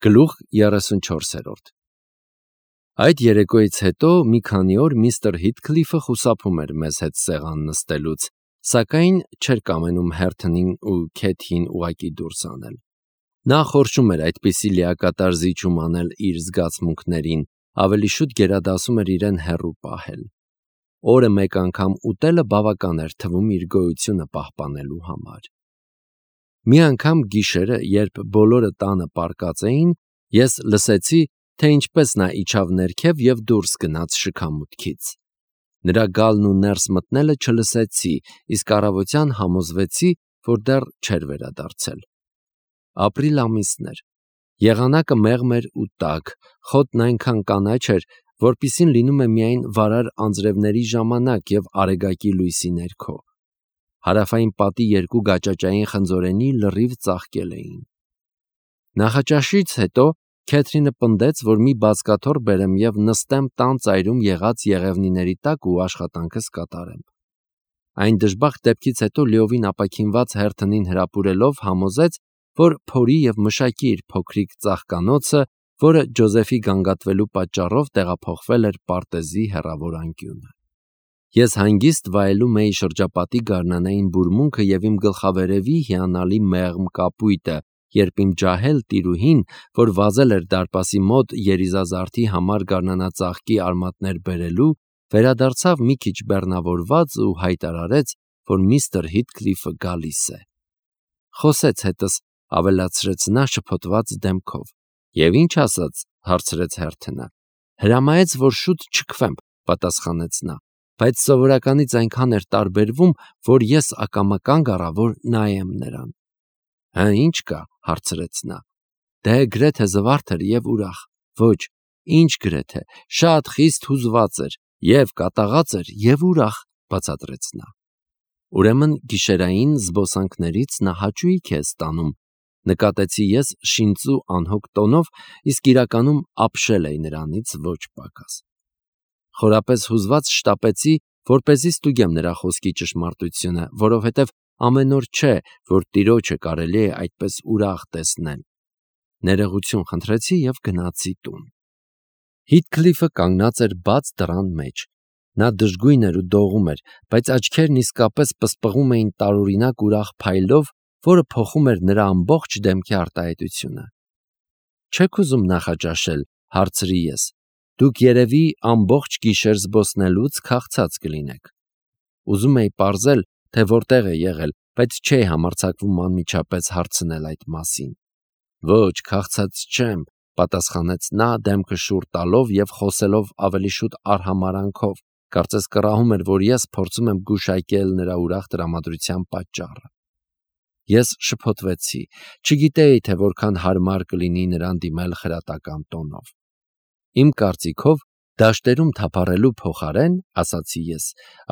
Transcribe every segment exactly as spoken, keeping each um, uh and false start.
Գլուխ երեսունչորս Այդ երեկոյից հետո մի քանի օր միստր Հիթքլիֆը խուսափում էր մեզ հետ սեղան նստելուց, սակայն չէր կամենում Հերթոնին ու Քեթիին ուղղակի դուրս անել։ Նա խորշում էր այդպիսի լիակատար զիջում անել իր զգացմունքներին, ավելի շուտ գերադասում էր իրեն հեռու պահել։ Օրը մեկ անգամ ուտելը բավական էր թվում իր գոյությունը պահպանելու համար։ Մի անգամ գիշերը, երբ բոլորը տանը պառկած էին, ես լսեցի, թե ինչպես նա իջավ ներքև և դուրս գնաց շքամուտքից։ Նրա գալն ու ներս մտնելը չլսեցի, իսկ առավոտյան համոզվեցի, որ դեռ չէր վերադարձել։ Ապրիլ ամիսն էր։ Եղանակը մեղմ էր ու տաք, խոտն այնքան կանաչ էր, որպիսին լինում է միայն վարար անձրևների ժամանակ և արեգակի լույսի ներքո։ Հարավային պատի երկու գաճաճային խնձորենի լրիվ ծաղկել էին։ Նախաճաշից հետո Քեթրինը պնդեց, որ մի բազկաթոռ բերեմ և նստեմ տան ծայրում եղած եղևնիների տակ ու աշխատանքս կատարեմ։ Այն դժբախտ դեպքից հետո լիովին ապաքինված Հերթոնին հրապուրելով համոզեց, որ փորի և մշակի իր փոքրիկ ծաղկանոցը, որը Ջոզեֆի գանգատվելու պատճառով տեղափոխվել էր պարտեզի հեռավոր անկյունը։ Ես հանգիստ վայելում էի շրջապատի գարնանային բուրմունքը և իմ գլխավերևի հիանալի մեղմ կապույտը, երբ իմ ջահել տիրուհին, որ վազել էր դարպասի մոտ երիզազարդի համար գարնանածաղկի արմատներ բերելու, վերադարձավ մի քիչ բեռնավորված ու հայտարարեց, որ միստր Հիթքլիֆը գալիս է։ Խոսեց հետս, ավելացրեց նա շփոթված դեմքով։ Եվ ինչ ասաց, հարցրեց Հերթոնը։ Հրամայեց, որ շուտ չքվեմ, պատասխանեց նա, բայց սովորականից այնքան էր տարբերվում, որ ես ակամա կանգ առա, որ նայեմ նրան։ Հը, ինչ կա, հարցրեց նա։ Դե գրեթե զվարթ էր և ուրախ։ Ոչ, ինչ գրեթե, շատ խիստ հուզված էր, և կատաղած էր, և ուրախ, բացատրեց նա։ Ուրեմն գիշերային զբոսանքներից նա հաճույք է ստանում, նկատեցի ես շինծու անհոգ տոնով, իսկ իրականում ապշել էի նրանից ոչ պակաս։ Խորապես հուզված շտապեցի, որպեսզի ստուգեմ նրա խոսքի ճշմարտությունը, որովհետև ամեն օր չէ, որ տիրոջը կարելի է այդպես ուրախ տեսնել։ Ներողություն խնդրեցի և գնացի տուն։ Հիթքլիֆը կանգնած էր բաց դռան մեջ։ Նա դժգույն էր ու դողում էր, բայց աչքերն իսկապես պսպղում էին տարօրինակ ուրախ փայլով, որը փոխում էր նրա ամբողջ դեմքի արտահայտությունը։ Չե՞ք ուզում նախաճաշել, հարցրի ես։ Դուք երևի ամբողջ գիշեր զբոսնելուց քաղցած կլինեք։ Ուզում էի պարզել, թե որտեղ է եղել, բայց չէի համարձակվում անմիջապես հարցնել այդ մասին։ Ոչ, քաղցած չեմ, պատասխանեց նա դեմքը շուռ տալով և խոսելով ավելի շուտ արհամարհանքով, կարծես կռահում էր, որ ես փորձում եմ գուշակել նրա ուրախ տրամադրության պատճառը։ Ես շփոթվեցի, չգիտեի, թե որքան հարմար կլինի նրան դիմել խրատական տոնով։ Իմ կարծիքով, դաշտերում թափառելու փոխարեն, ասացի ես,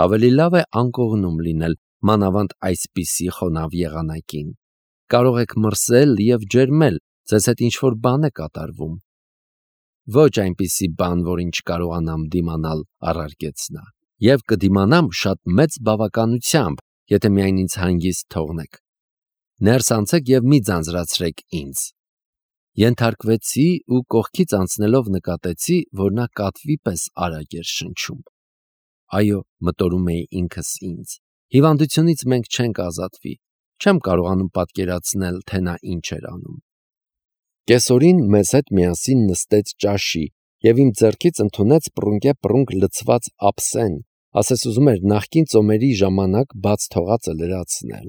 ավելի լավ է անկողնում լինել, մանավանդ այսպիսի խոնավ եղանակին։ Կարող եք մրսել և ջերմել, ձեզ հետ ինչ-որ բան է կատարվում։ Ոչ այնպիսի բան, որին չկարողանամ դիմանալ, առարկեց նա, և կդիմանամ շատ մեծ բավականությամբ, եթե միայն ինձ հանգիստ թողնեք։ Ներս անցեք և մի ձանձրացրեք ինձ։ Ենթարկվեցի ու կողքից անցնելով նկատեցի, որ նա կատվի պես արագ էր շնչում։ Այո, մտորում էի ինքս ինձ, հիվանդությունից մենք չենք ազատվի, չեմ կարողանում պատկերացնել, թե նա ինչ էր անում։ Կեսօրին մեզ հետ միասին նստեց ճաշի և իմ ձեռքից ընդունեց պռունկեպռունկ լցված ափսեն, ասես ուզում էր նախկին ծոմերի ժամանակ բաց թողածը լրացնել։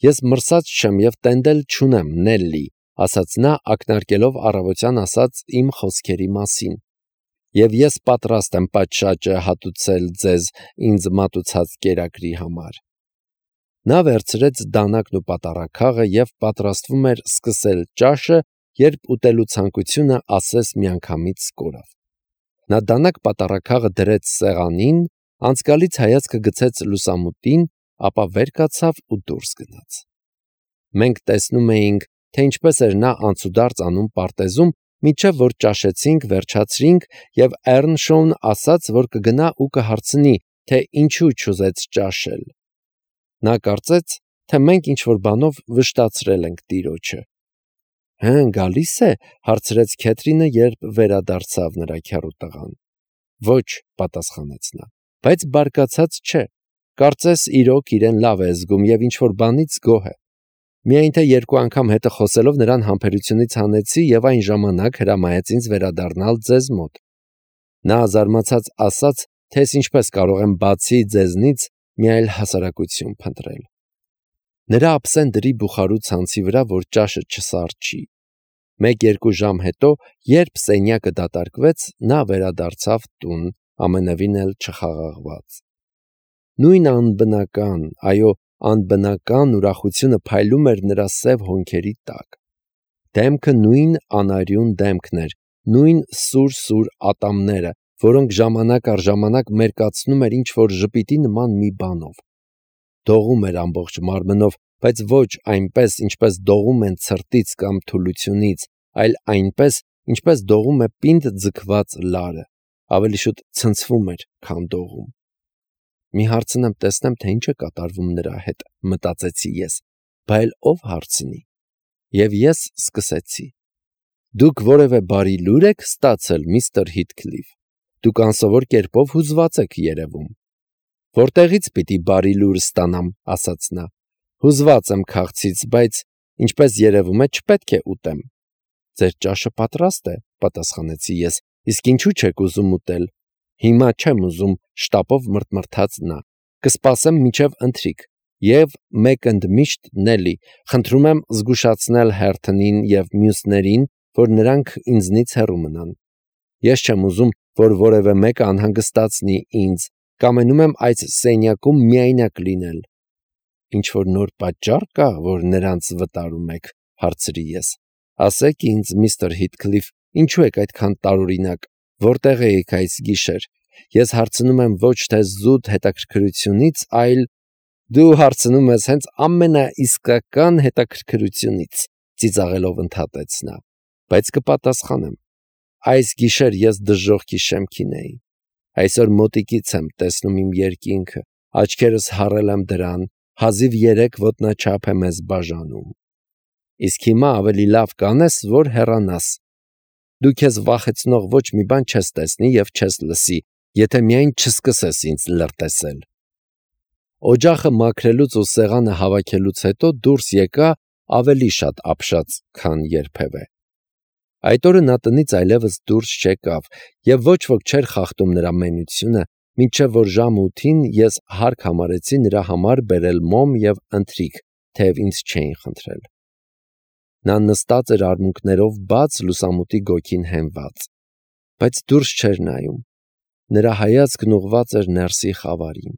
Ես մրսած չեմ և տենդել չունեմ, Նելլի, ասաց նա, ակնարկելով առավոտյան ասած իմ խոսքերի մասին, և ես պատրաստ եմ պատշաճը հատուցել ձեզ ինձ մատուցած կերակրի համար։ Նա վերցրեց դանակն ու պատառաքաղը և պատրաստվում էր սկսել ճաշը, երբ ուտելու ցանկությունը ասես միանգամից կորավ։ Նա դանակ-պատառաքաղը դրեց սեղանին, անցկալից հայացքը գցեց լուսամուտին, ապա վեր կացավ ու դուրս գնաց։ Մենք տեսնում էինք, թե ինչպես էր նա անցուդարձ անում պարտեզում, մինչև որ ճաշեցինք, վերջացրինք, և Էռնշոուն ասաց, որ կգնա ու կհարցնի, թե ինչու չուզեց ճաշել։ Նա կարծեց, թե մենք ինչ-որ բանով վշտացրել ենք տիրոջը։ Հեն գալիս է, հարցրեց Քեթրինը, երբ վերադարձավ նրա քեռու տղան։ Ոչ, պատասխանեց նա, բայց բարկացած չէ։ Կարծես իրոք իրեն լավ է զգում եւ ինչ որ բանից գոհ է։ Միայն թե երկու անգամ հետը խոսելով նրան համբերությունից հանեցի եւ այն ժամանակ հրամայեց ինձ վերադառնալ ձեզ մոտ։ Նա զարմացած ասաց, թե ինչպես կարող եմ բացի ձեզնից մի այլ հասարակություն փնտրել։ Նրա աբսենտերի բուխարու ցանցի վրա, որ ճաշը չսառչի։ Մեկ-երկու ժամ հետո, երբ սենյակը դատարկվեց, նա վերադարձավ տուն, ամենևին էլ չխաղաղված։ Նույն անբնական, այո, անբնական ուրախությունը փայլում էր նրա սև հոնքերի տակ։ Դեմքը նույն անարյուն դեմքն էր, նույն սուր-սուր ատամները, որոնք ժամանակ առ ժամանակ մերկացնում էր ինչ-որ ժպիտի նման մի բանով։ Դողում էր ամբողջ մարմնով, բայց ոչ այնպես, ինչպես դողում են ցրտից կամ թուլությունից, այլ այնպես, ինչպես դողում է պինդ ձգված լարը, ավելի շուտ ցնցվում էր, քան դողում։ Մի հարցնեմ, տեսնեմ, թե ինչ է կատարվում նրա հետ, մտածեցի ես, բայց ով հարցնի։ Եվ ես սկսեցի. Դուք որևէ բարի լուր եք ստացել, միստր Հիթքլիֆ։ Դուք անսովոր կերպով հուզված եք երևում։ Որտեղից պիտի բարի լուր ստանամ, ասաց նա։ Հուզված եմ քաղցից, բայց ինչպես երևում է, չպետք է ուտեմ։ Ձեր ճաշը պատրաստ է, պատասխանեցի ես, իսկ ինչու չեք ուզում ուտել։ Հիմա չեմ ուզում, շտապով մրթմրթաց նա։ Կսպասեմ մինչև ընթրիք։ Եվ մեկ ընդմիշտ Նելի, խնդրում եմ զգուշացնել Հերթոնին եւ մյուսներին, որ նրանք ինձնից հեռու մնան։ Ես չեմ ուզում, որ որևէ մեկը անհանգստացնի ինձ, կամենում եմ այս սենյակում միայնակ լինել։ Ինչ որ նոր պատճառ կա, որ նրանց վտարում եք, հարցրի ես։ Ասեք ինձ, միստր Հիթքլիֆ, ինչու եք այդքան տարօրինակ, որտեղ եք այս գիշեր։ Ես հարցնում եմ ոչ թե զուտ հետաքրքրությունից, այլ դու հարցնում ես հենց ամենաիսկական հետաքրքրությունից, ծիծաղելով ընդհատեց նա, բայց կպատասխանեմ։ Այս գիշեր ես դժոխքի շեմքին էի։ Այսօր մոտիկից եմ տեսնում իմ երկինքը, աչքերս հառել եմ դրան, հազիվ երեք ոտնաչափ է մեզ բաժանում։ Իսկ հիմա ավելի լավ կանես, որ հեռանաս։ Դու քեզ վախեցնող ոչ մի բան չես տեսնի եւ չես լսի, եթե միայն չսկսես ինձ լրտեսել։ Օջախը մաքրելուց ու սեղանը հավաքելուց հետո դուրս եկա ավելի շատ ապշած, քան երբևէ։ Այդ օրը նա տնից այլևս դուրս չեկավ եւ ոչ ոք չէր խախտում նրա մենությունը, մինչև որ ժամ ութին ես հարկ համարեցի նրա համար բերել մոմ եւ ընթրիք, թեև ինձ չէին խնդրել։ Նա նստած էր արմունկներով բաց լուսամուտի գոգին հենված, բայց դուրս չէր նայում։ Նրա հայացքն ուղղված էր ներսի խավարին։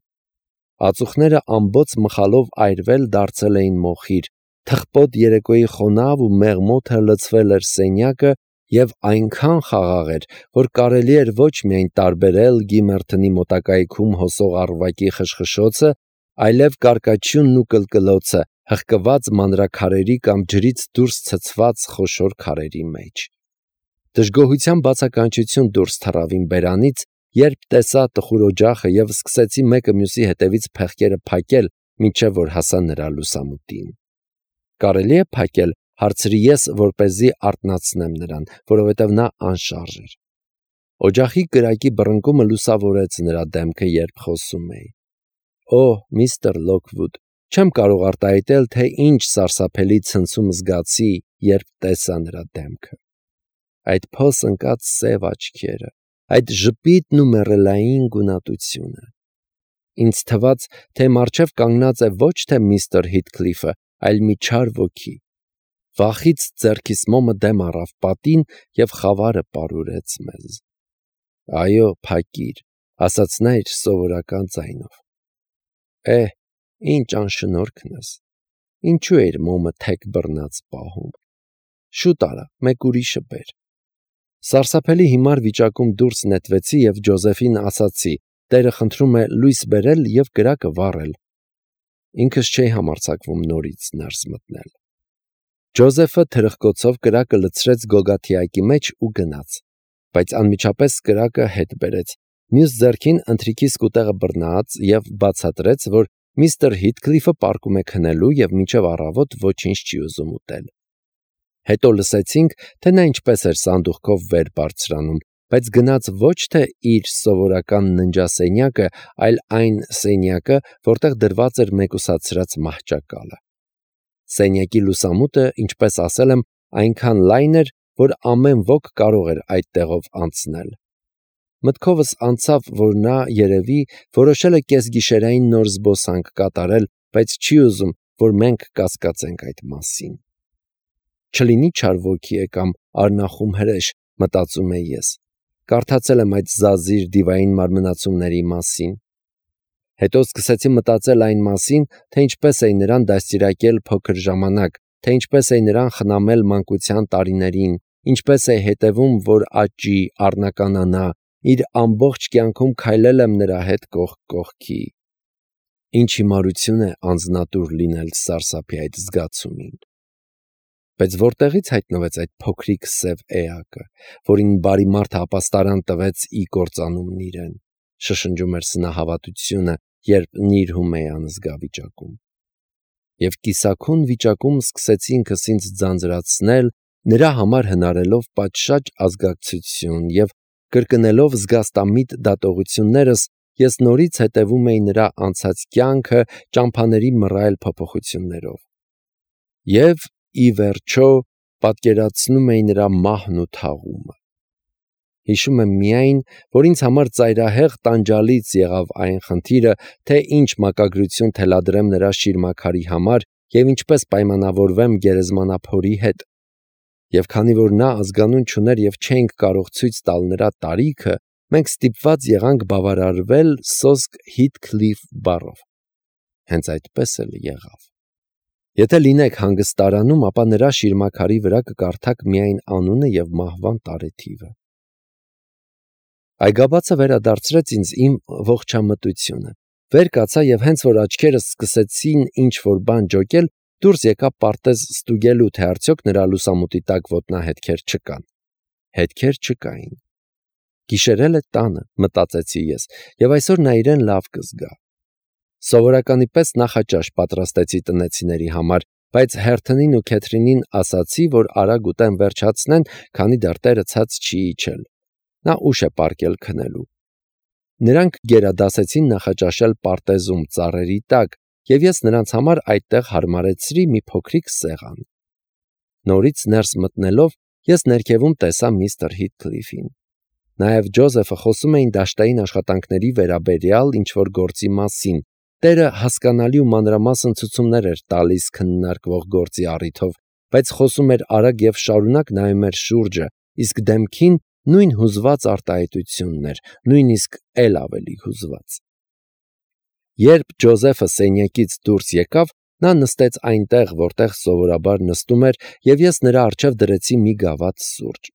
Ածուխները ամբողջ մխալով այրվել դարձել էին մոխիր, թխպոտ երեկոյի խոնավ ու մեղմոթը լցվել էր սենյակը եւ այնքան խաղաղ էր, որ կարելի էր ոչ միայն տարբերել Գիմերթոնի մոտակայքում հոսող առվակի խշխշոցը, այլև կարկաչյունն ու կլկլոցը, հղկված մանրաքարերի կամ ջրից դուրս ցցված խոշոր քարերի մեջ։ Դժգոհության բացականչություն դուրս թռավ իմ բերանից, երբ տեսա տխուր օջախը եւ սկսեցի մեկը մյուսի հետևից փեղկերը փակել, մինչև որ հասա նրա լուսամուտին։ Կարելի է փակել, հարցրի ես, որպեսզի արթնացնեմ նրան, որովհետև նա անշարժ էր։ Օջախի կրակի բռնկումը լուսավորեց նրա դեմքը, երբ խոսում էի։ Օ, միստր Լոքվուդ, չեմ կարող արտահայտել, թե ինչ սարսափելի ցնցում զգացի, երբ տեսա նրա դեմքը։ Այդ փոս ընկած սև աչքերը, այդ ժպիտն ու մեռելային գունատությունը։ Ինձ թվաց, թե մառչև կանգնած է ոչ թե միստր Հիթքլիֆը, այլ մի չար ոգի։ Վախից ձեռքիս մոմը դեմ առավ պատին եւ խավարը պարուրեց մեզ։ Այո, փակիր, ասաց նա իր սովորական ձայնով։ Է, ինչ անշնորհքն ես։ Ինչու էր մոմը թեք բռնած պահում։ Շուտ արա, մեկ ուրիշը բեր։ Սարսափելի հիմար վիճակում դուրս նետվեցի եւ Ջոզեֆին ասացի. Տերը խնդրում է լույս բերել եւ կրակը վառել։ Ինքս չէի համարձակվում նորից ներս մտնել։ Ջոզեֆը թրխկոցով կրակը լցրեց գոգաթիակի մեջ ու գնաց, բայց անմիջապես կրակը հետ բերեց, մյուս ձեռքին ընթրիքի սկուտեղը բռնած եւ բացատրեց, որ միստր Հիթքլիֆը պառկում է քնելու եւ մինչեւ առավոտ ոչինչ չի ուզում ուտել։ Հետո լսեցինք, թե նա ինչպես էր սանդուղքով վեր բարձրանում, բայց գնաց ոչ թե իր սովորական ննջասենյակը, այլ այն սենյակը, որտեղ դրված էր մեկուսացրած մահճակալը։ Սենյակի լուսամուտը, ինչպես ասել եմ, այնքան լայն էր, որ ամեն ոք կարող էր այդ տեղով անցնել։ Մտքովս անցավ, որ նա, երևի, որոշել է կեսգիշերային նոր զբոսանք կատարել, բայց չի ուզում, որ մենք կասկածենք այդ մասին։ Չլինի չար ոգի է կամ արնախում հրեշ, մտածում եմ ես։ Կարդացել եմ այդ զազիր դիվային մարմնացումների մասին։ Հետո սկսեցի մտածել այն մասին, թե ինչպես էի նրան դաստիարակել փոքր ժամանակ, թե ինչպես էի նրան խնամել մանկության տարիներին, ինչպես էի հետևում, որ աճի, առնականանա, իր ամբողջ կյանքում քայլել եմ նրա հետ կողք կողքի։ Ինչ հիմարություն է անձնատուր լինել սարսափի այդ զգացումին։ Բայց որտեղից հայտնվեց այդ փոքրիկ սև էակը, որին բարի մարդը ապաստարան տվեց ի կործանումն իրեն, շշնջում էր սնահավատությունը, երբ նիրհում էի անզգա վիճակում։ Եվ կիսաքուն վիճակում սկսեցի ինքս ինձ ձանձրացնել, նրա համար հնարելով պատշաճ ազգակցություն և կրկնելով զգաստամիտ դատողություններս, ես նորից հետևում էի նրա անցած կյանքը ճամփաների մռայլ փոփոխություններով։ Եվ, ի վերջո, պատկերացնում էի նրա մահն ու թաղումը։ Հիշում եմ միայն, որ ինձ համար ծայրահեղ տանջալից եղավ այն խնդիրը, թե ինչ մակագրություն թելադրեմ նրա շիրմաքարի համար և ինչպես պայմանավորվեմ գերեզմանափորի հետ։ Եվ քանի որ նա ազգանուն չուներ և չէինք կարող ցույց տալ նրա տարիքը, մենք ստիպված եղանք բավարարվել սոսկ Հիթքլիֆ բառով։ Հենց այդպես էլ եղավ։ Եթե լինեք հանգստարանում, ապա նրա շիրմաքարի վրա կկարդաք միայն անունը և մահվան տարեթիվը։ Այգաբացը վերադարձրեց ինձ իմ ողջամտությունը։ Վեր կացա և հենց որ աչքերս սկսեցին ինչ-որ բան ջոկել, դուրս եկա պարտեզ ստուգելու, թե արդյոք նրա լուսամուտի տակ ոտնահետքեր չկան։ Հետքեր չկային։ Գիշերել է տանը, մտածեցի ես, և այսօր նա իրեն լավ կզգա։ Սովորականի պես նախաճաշ պատրաստեցի տնեցիների համար, բայց Հերթոնին ու Քեթրինին ասացի, որ արագ ուտեն վերջացնեն, քանի դեռ տերը ցած չի իջել։ Նա ուշ է պառկել քնելու։ Նրանք գերադասեցին նախաճաշել պարտեզում ծառերի տակ, և ես նրանց համար այդտեղ հարմարեցրի մի փոքրիկ սեղան։ Նորից ներս մտնելով, ես ներքևում տեսա միստր Հիթքլիֆին։ Նաև Ջոզեֆը խոսում էին դաշտային աշխատանքների վերաբերյալ ինչ-որ գործի մասին։ Տերը հասկանալի ու մանրամասն ցուցումներ էր տալիս քննարկվող գործի առիթով, բայց խոսում էր արագ և շարունակ նայում էր շուրջը, իսկ դեմքին նույն հուզված արտահայտությունն էր, նույնիսկ էլ ավելի հուզված։ Երբ Ջոզեֆը սենյակից դուրս եկավ, նա նստեց այնտեղ, որտեղ սովորաբար նստում էր, և ես նրա առջև դրեցի մի գավաթ սուրճ։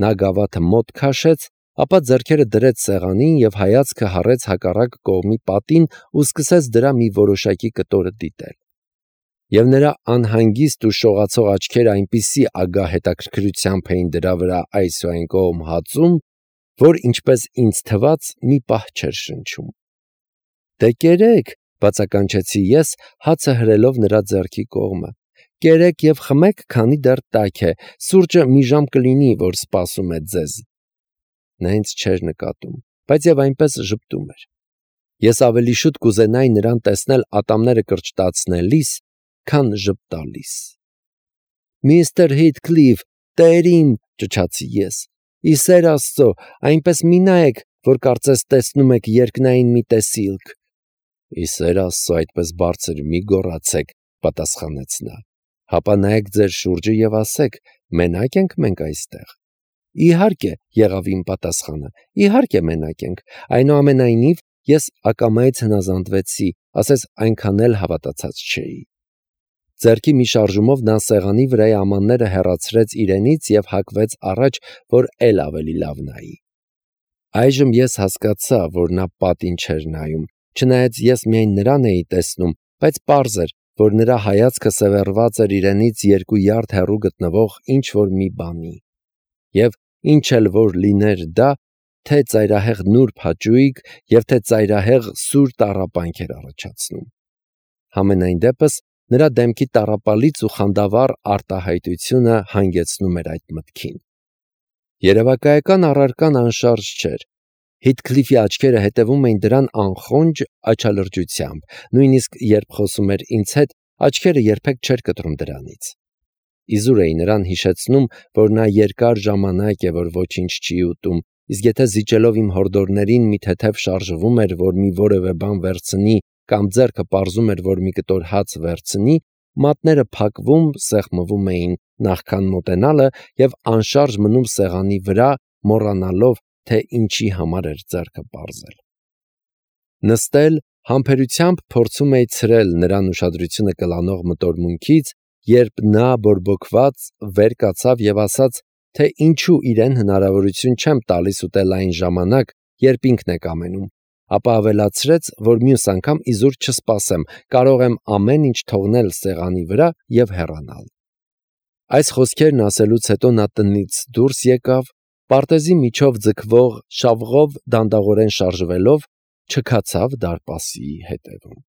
Նա գավաթը մոտ քաշեց, ապա ձեռքերը դրեց սեղանին և հայացքը հառեց հակառակ կողմի պատին ու սկսեց դրա մի որոշակի կտորը դիտել։ Եվ նրա անհանգիստ ու շողացող աչքերը այնպիսի ագահ հետաքրքրությամբ էին դրա վրա այս ու այն կողմ հածում, որ, ինչպես ինձ թվաց, մի պահ չէր շնչում։ «Դե կերեք», բացականչեցի ես, հացը հրելով նրա ձեռքի կողմը։ «Կերեք և խմեք, քանի դեռ տաք է, սուրճը մի ժամ կլինի, որ սպասում է ձեզ»։ Նա ինձ չէր նկատում, բայց և այնպես ժպտում էր։ Ես ավելի շուտ կուզենայի նրան տեսնել ատամները կրճտացնելիս, քան ժպտալիս։ «Միստր Հիթքլիֆ, տեր իմ», ճչացի ես, «ի սեր Աստծո, այնպես մի նայեք, որ կարծես տեսնում եք երկնային մի տեսիլք»։ «Ի սեր Աստծո, այդպես բարձր մի գոռացեք», պատասխանեց նա։ «Հապա նայեք ձեր շուրջը և ասեք, մենա՞կ ենք մենք այստեղ»։ «Իհարկե», եղավ իմ պատասխանը, «իհարկե մենակ ենք»։ Այնուամենայնիվ, ես ակամայից հնազանդվեցի, ասես այնքան էլ հավատացած չէի։ Ձեռքի մի շարժումով նա սեղանի վրայի ամանները հեռացրեց իրենից և հակվեց առաջ, որ էլ ավելի լավ նայի։ Այժմ ես հասկացա, որ նա պատին չէր նայում, չնայած ես միայն նրան էի տեսնում, բայց պարզ էր, որ նրա հայացքը սևեռված էր իրենից երկու յարդ հեռու գտնվող ինչ-որ մի բանի։ Եվ ինչ էլ որ լիներ դա, թե ծայրահեղ նուրբ հաճույք և թե ծայրահեղ սուր տառապանք էր առաջացնում։ Համենայն դեպս, Նրա դեմքի տառապալից ու խանդավառ արտահայտությունը հանգեցնում էր այդ մտքին։ Երևակայական առարկան անշարժ չէր։ Հիթքլիֆի աչքերը հետևում էին դրան անխոնջ աչալրջությամբ, նույնիսկ երբ խոսում էր ինձ հետ, աչքերը երբեք չէր կտրում դրանից։ Իզուր էի նրան հիշեցնում, որ նա երկար ժամանակ է, որ ոչինչ չի ուտում, իսկ եթե զիջելով իմ հորդորներին մի թեթև շարժվում էր, որ մի որևէ բան վերցնի կամ ձեռքը պարզում էր, որ մի կտոր հաց վերցնի, մատները փակվում, սեղմվում էին նախքան մոտենալը և անշարժ մնում սեղանի վրա, մոռանալով, թե ինչի համար էր ձեռքը պարզել։ Նստել, համբերությամբ փորձում էի ցրել նրան ուշադրությունը կլանող մտորմունքից, երբ նա բորբոքված վեր կացավ և ասաց, թե ինչու իրեն հնարավորություն չեմ տալիս ուտել այն ժամանակ, երբ ինքն է կամենում, ապա ավելացրեց, որ մյուս անգամ իզուր չսպասեմ, կարող եմ ամեն ինչ թողնել սեղանի վրա և հեռանալ։ Այս խոսքերն ասելուց հետո նա տնից դուրս եկավ, պարտեզի միջով ձգվող շավղով դանդաղորեն շարժվելով, չքացավ դարպասի հետևում։